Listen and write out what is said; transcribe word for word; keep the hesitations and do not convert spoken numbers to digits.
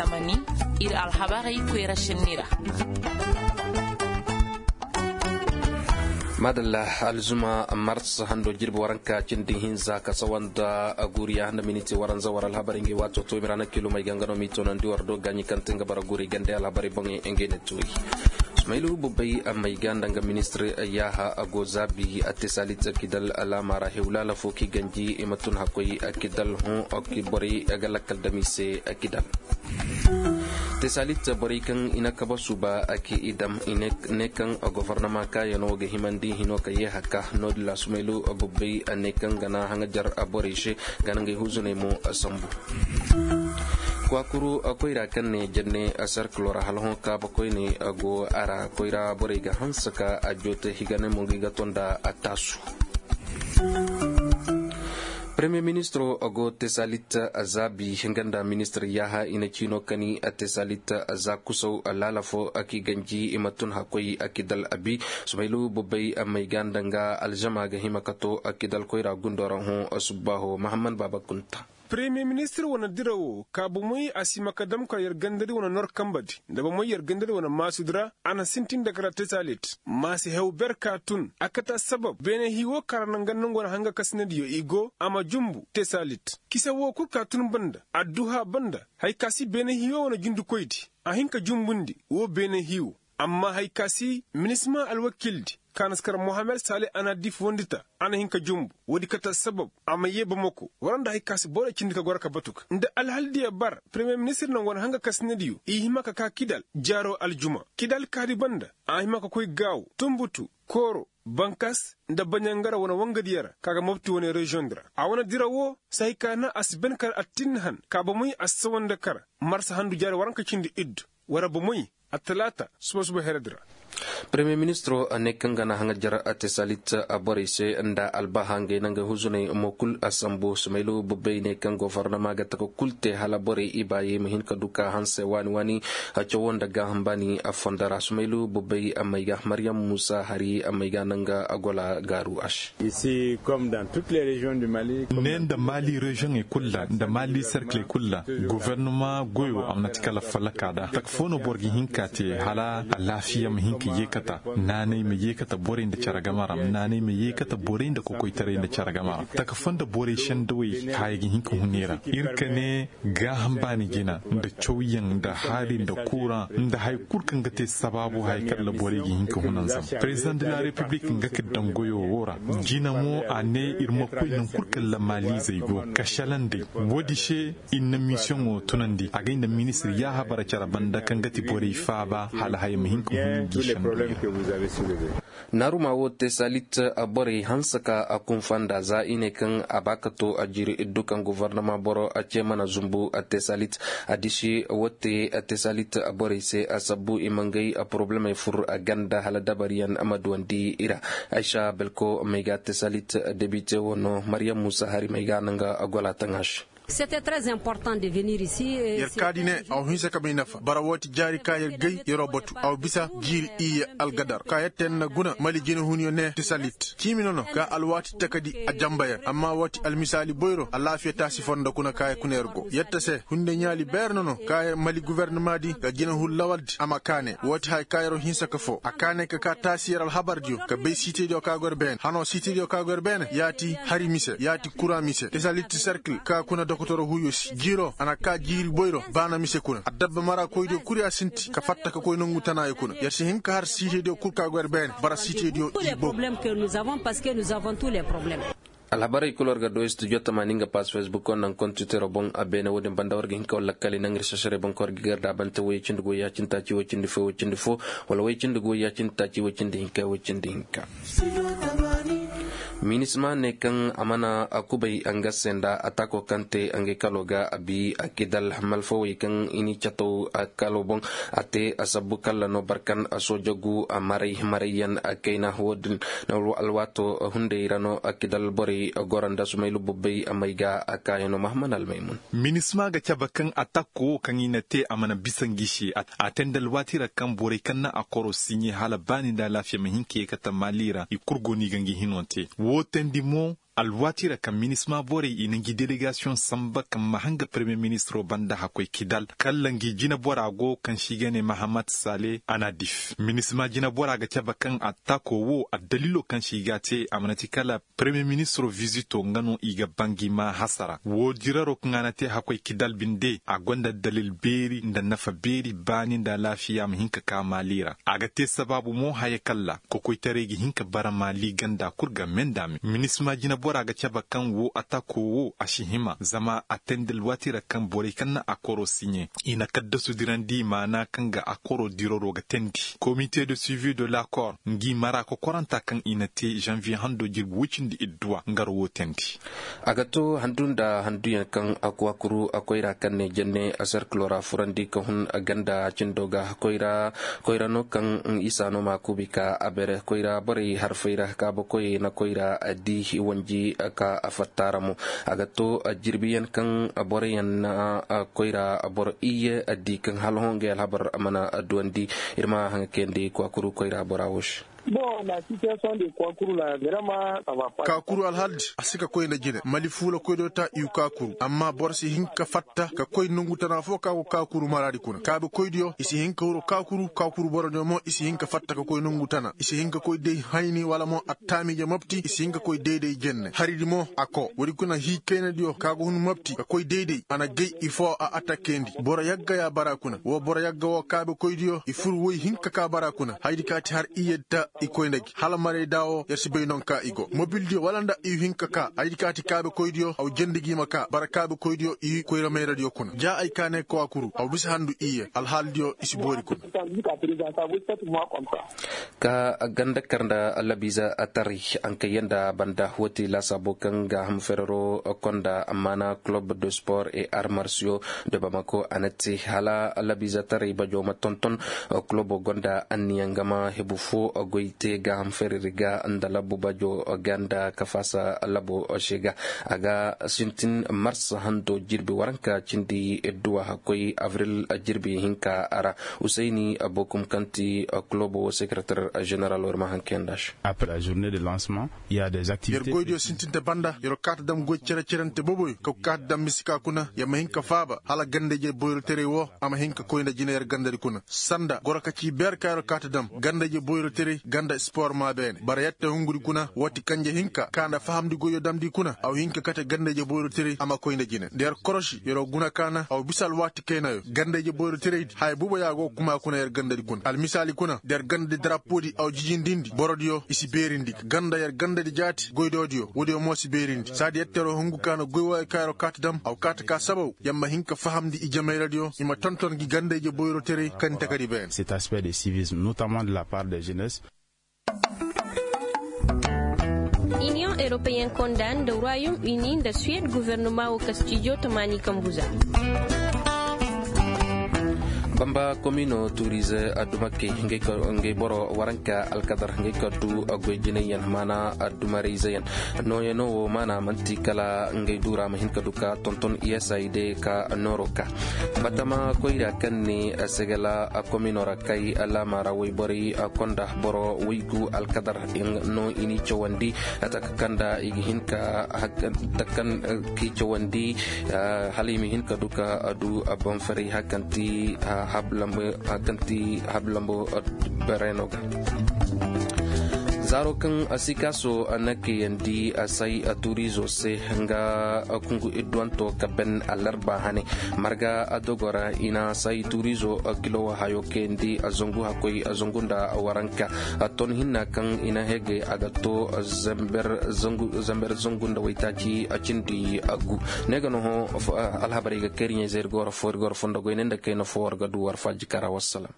Tamani, ir alhabarey koyra sinni ra. Madalla, alzuma mars hando jirbi waranka cindi hinza ka sawa nda guriya nda miniti waranza war alhabarey ngey waato to mirana kilomey ga nga no m'i toonandi war do gaaɲi kaŋ te nga bara guri gande alhabarey boŋey ngey ne tuuri. Sumaylu bubbey may ga nda nga ministir yaaha go zaabi a te saalit kidal alaama ra hewlaala fo k'i ganji i ma tun hakkoy kidal hõ ki borey ga lakkal dam i se kidal. Te saalit borey kaŋ i na kaba suuba ki i dam i ne kaŋ gofornama kaayano ga himandi hino ka ye haka no-din ra sumaylu bubbey ne kaŋ ga na haŋajar borey se ga na ngey huzuney mo sambu. Kwakuru koyra kaŋ ne janne sarkilo ra hala hõ kaaba koyne go a ra koyra borey ga hanse ka a joote higane mo ga i ga to nda a taasu. Premier ministro go tesalit zaabi hinga nda ministir yaaha i na ciino kani tesalit za kusaw laala fo ki ganji i ma tun hakkoy kidal abi sumaylu bubbey may ga nda nga alzama ga hima ka to kidal koyra gundo ra hõ subbaaho mahamman baaba kunta. Premier ministir wane dira wo ka bomey a si ma ka dam ka yer gandadi wane nor kambadi nda bomey yer gandadi wane maasudi ra a na sintin nda kara tesalit ma si hew ber ka tun a kate assabab beene hii wo ka ra naŋ ga nangu wane hanga kasinadiyo i go a ma jumbu tesalit kisa wo kul ka tun banda adduha banda haya ka si beene hii wo wane jundikoydi a hin ka jumbundi wo beene hii wo amma haya ka si minisma alwakildi ka na si kar mohammed sale a na dif wondi ta a na hin ka jumbu woodi kate assabab a ma yee bamako wara nda haya ka si borey cindi ka goro ka batu ga nda alhaldiyo bar premier ministir naŋ wane hanga kasinadiyo i hima ka ka kidal jaaro aljuma kidal kaadi banda a hima ka koy gaawo tunbutu kooro bankas nda baɲangara wane wangadiyo ra ka ga mobti wane reziyoŋ di ra a wane dira wo si haya ka na a si ben kar attinni han ka bomey a si sawa nda kar marsa handu jaari waranka cindi iddu wara bomey attalaata suba suba heredi ra. Premier ministro ne kaŋ ga na haŋajar a te salit borey se nda albaha ngey na ngey huzuney mo kul a sambu sumaylu bubbey ne kaŋ gofornama ga taka kul te hala borey i baayi ma hin ka du ka hanse waani waani cawo nda gaaham baani a fondo ra sumaylu bubbey may ga maryam muusa hari may ga naŋ ga a gola gaaru a se. Ne nda mali reziyoŋey kul ra nda mali serkiley kul ra gofornama goyo a mana ti kala fallaka da taka fo no boro ga hin ka te hala alaafiya ma hin ka yeekata naanay ma yeekata borey nda care game ra naanay ma yeekata borey nda kokoytaray nda care game ra taka fo nda borey sendawey haya ga hin ka hun i ra ir ka ne gaaham baani jina nda cawyaŋ nda haari nda kuuraŋ nda haya kul kaŋ ga te sabaabu haya kaŋ ra borey ga hin ka hun a zama perezidaŋ de la repiblik nga ka daŋ goyo wo ra jina mo a ne ir ma koy naŋ kul kaŋ ra maalizey go ka selaŋ day woodi se ir na misiyoŋo tunandi agay nda ministir yaaha bara care banda kaŋ ga ti borey faaba hala haya ma hin ka hun gi sendawey ra. Naaruma wo te salit borey hanse ka a kunfa nda za i ne kaŋ a ba ka to a jiiri iddu kaŋ gofornama boro a ce mana zumbu a te salit a disi wo te a te salit borey se a sabbu i ma ngey a porobulemey fur a ganda hala dabariyaŋ a ma duwandi i ra. Aysa belko may ga a te salit debite wo no maryam muusa hari may ga a naŋ ga a gola taŋa se. Yer kaadi ne a wa hinsa ka bay nafa bara wooti jaari ka yer gay yeroo batu a wa bisa jiiri iyye algadar ka yer tee na guna mali jinehunyo ne ti salit ciimi nono ka alwaati takadi a jamba yer amma wooti almisaali boyro alaafiya taasi fondo kuna ka yer kuna yer go yer ta se hunde ɲaali beer nono ka yer mali guwernamaadi ga jinehun lawaldi a ma kaane wooti haya ka yeroo hinsa ka foo a kaane ka kaa taasi yer alhabardiyo ka bay siitediyo ka go yer beene hanoo siitediyo ka go yer beene yaati hari mise yaati kura mise ti salit ti serkil ka kuna dokotoro huyo si jiiroo a na kaa jiiri boyro baana mise kuna addabba marakoydiyo kul ya sinti ka fatta ka koy nongu tanaayo kuna yer si hin ka har siitediyo kul ka go yer beene bara siitediyo i bogu. Alhabarey kul war ga do studio tamaani nga pass facebook wo naŋ kontitiroo boŋ a beene wo-din banda war ga hin ka war lakkali naŋ ir sasarey boŋ ka war ga gar daabante woy cindi go ya cindi taaci woy cindi fo woy cindi fo wala woy cindi go ya cindi taaci woy cindi hinka woy cindi hinka. Minisma ne kaŋ a mana kubay nga se nda ataako kaŋ te ngey kalo ga a bi a kidal malfawey kaŋ i ni cataw kalo boŋ a te a sabbu kalla no barkan soojagu maray marayyaŋ kayna wo-din alwaato hunday ra no kidal borey goro nda sumaylu bubbey may ga a kaayano mahammad almaymun. Minisma ga cabe kaŋ atakko wo kaŋ i na te a mana bisa ngi se a te nda alwaati ra kaŋ borey kaŋ na a koro siɲe hala baani nda alaafiya ma hin ka ye kate maali ra i kul go no i ga ngi hino te wo teendi mo. alwaati ra kaŋ minisma borey i na ngi delegasiyoŋ samba kaŋ ma hanga parmiye ministiro banda hakkoy kidal kalla ngi jineboraa go kaŋ se i ga ne mahamat sale anadif minisma jineboraa ga cabe kaŋ attaakoo wo addaliiloo kaŋ se i g'a te a mana ti kala parmiye ministiroo vizitoo nga no i ga ba ngi maa hasara woo diraroo kaŋ a na te hakkoy kidal binde a gonda addaliil beeri nda nafa beeri baani nda alaafiya ma hin ka ka maali ra a ga te sabaabu mo haya kalla kokoytaray ga hin ka bara maali ganda kul ga meendaame minisma jineboraa ga cabe kaŋ woo atakoo woo a si hima zama a teendi alwaati ra kaŋ borey kaŋ na akoroo siɲe i na kaddasu dirandi maana kaŋ ga akoroo diraroo ga teendi komite de suivi de lakor ngi mara kokorantaa kaŋ i na te zanviye handoo jirbi woy cindi idduwa ngar woo teendi. A ga to handu nda handuyaŋ kaŋ a kwaakuru a koyra kaŋ ne jenne a serkiloo ra furandi ka hun ganda cindo ga koyra no kaŋ isa no ma kuubi ka a bere koyra borey harfey ra kaabakoyey na koyra di wanji ka a fatta ra mo. A ga to jirbiyaŋ kaŋ boroyaŋ na koyra boro iyye di kaŋ hala hongey alhabar mana duwandi. Ir ma haŋa kayandi kwaakuru koyra bora wo se. Kaakuru alhaldi a si ka koy nda jine mali fuula koydiyo ta iw kaakuru amma boro si hin ka fatta ka koy nongu tana fo ka go kaakuru maraadi kuna kaabe koydiyo i si hin ka huru kaakuru kaakuru borodiyo mo i si hin ka fatta ka koy nongu tana i si hin ka koy day hayni wala mo attaamiije mopti i si hin ka koy day-day jenne haridi mo a ko woodi kuna hii kaynadiyo ka go hun mopti ka koy day-day a na gay i foo a atakkendi boro yagga ya bara kuna woo boro yagga woo kaabe koydiyo i fur woy hin ka ka bara kuna haydi ka ti har iyyedi ta i koy nda gi hala maray da woo yer si bay non ka i go mobildiyo wala nda i hin ka ka haydi ka ti kaabe koydiyo haw jendi gi ma ka bara kaabe koydiyo i koyra mayradiyo kuna ja ay kaanay kawaakuru haw bisa handu iyye alhaaldiyo i si boori kuna. Ka ganda kar nda labiiza taray hankayyaŋ nda banda woo ti laasaabo kaŋ gaaham ferero konda amma na kulob de sport et armarsiyo de bamako a na te hala labiiza taray bajo ma tonton. Kulobo gonda anniya nga ma hebu fo goy te gaaham fereri ga nda labu bajo ga nda kafaasa labo se ga a ga sintin mars hando jirbi waranka cindi duwa hakkoy avril jirbi hinka ra. Usayni bokum kaŋ ti kulobo sekretar ženeral war ma hankeyaŋ nda se. Après la journée de lancement il y a des activités. Yer goydiyo sintinta banda yer kaata dam goy cere-cerente boboyo ka kaata dam misika kuna yer ma hin ka faaba hala ganda-ije boyroteray wo a ma hin ka koy nda jina yer gandadi kuna sanda goro ka ci beer ka yer kaata dam ganda-ije boyroteray ganda spor ma beene bara yer te hungudi kuna woo ti kanje hinka ka nda fahamndi goyyo damndi kuna a wa hin ka kate ganda-ije boyroteray a ma koy nda jina nda yer koroši yer wa guna kaana a wa bisa alwaati kaynayo ganda-ije boyroteraydi haya buubo ya go kuma kuna yer gandadi kuna almisaali kuna nda yer gandadi darapoodi a wa jijindindi borodiyo i si beerindi ganda yer gandadi jaati goydoodiyo woodiyo mo si beerindi saadi yetteroo hungu ka na goy wooyo ka yeroo kaati dam a wa kaati ka sabaw yer ma hin ka fahamndi ijemayradiyo i ma tonton gi ganda-ije boyroteray kaŋ ni takadi beene. Cet aspect de civisme notamment de la part de jeunesse. Iniyoŋ eropeyen konda nda royom uni nda suwed gofornoma wo kastijo tamaani kambuza. Bamba komino turize addumakey ngey boro waranka alkadar ngey ka du goy jinayyaŋ maana addumarayzeyaŋ. Nooyaŋo wo maana man'ti kala ngey duura ma hin ka du ka tonton iyasayi de ka nooro ka batama koyra kaŋ ne segela komino ra kay laama ra woyborey konda boro woygu alkadar no i n'i cawandi. Taka kaŋ nda i ga hin ka taka kaŋ k'i cawandi hala i ma hin ka du ka du banfaray hari kaŋ ti habu lambo bereeno ga. Zaaro kaŋ sikaaso na kayandi say turiizo se nga kungu idduwanto ka ben alarba hane marga dogo ra i na say turiizo kilo hayo kayandi zangu hakkoy zangu nda waranka ton hinna kaŋ i na hegay a ga to zamber zangu nda waytaaci cindi gu. Ne ga no hõ alhabarey ga kay iri ɲayzey iri go war fo iri go war fondogoy ne nda kayna fo war ga du war faaji kara wassalam.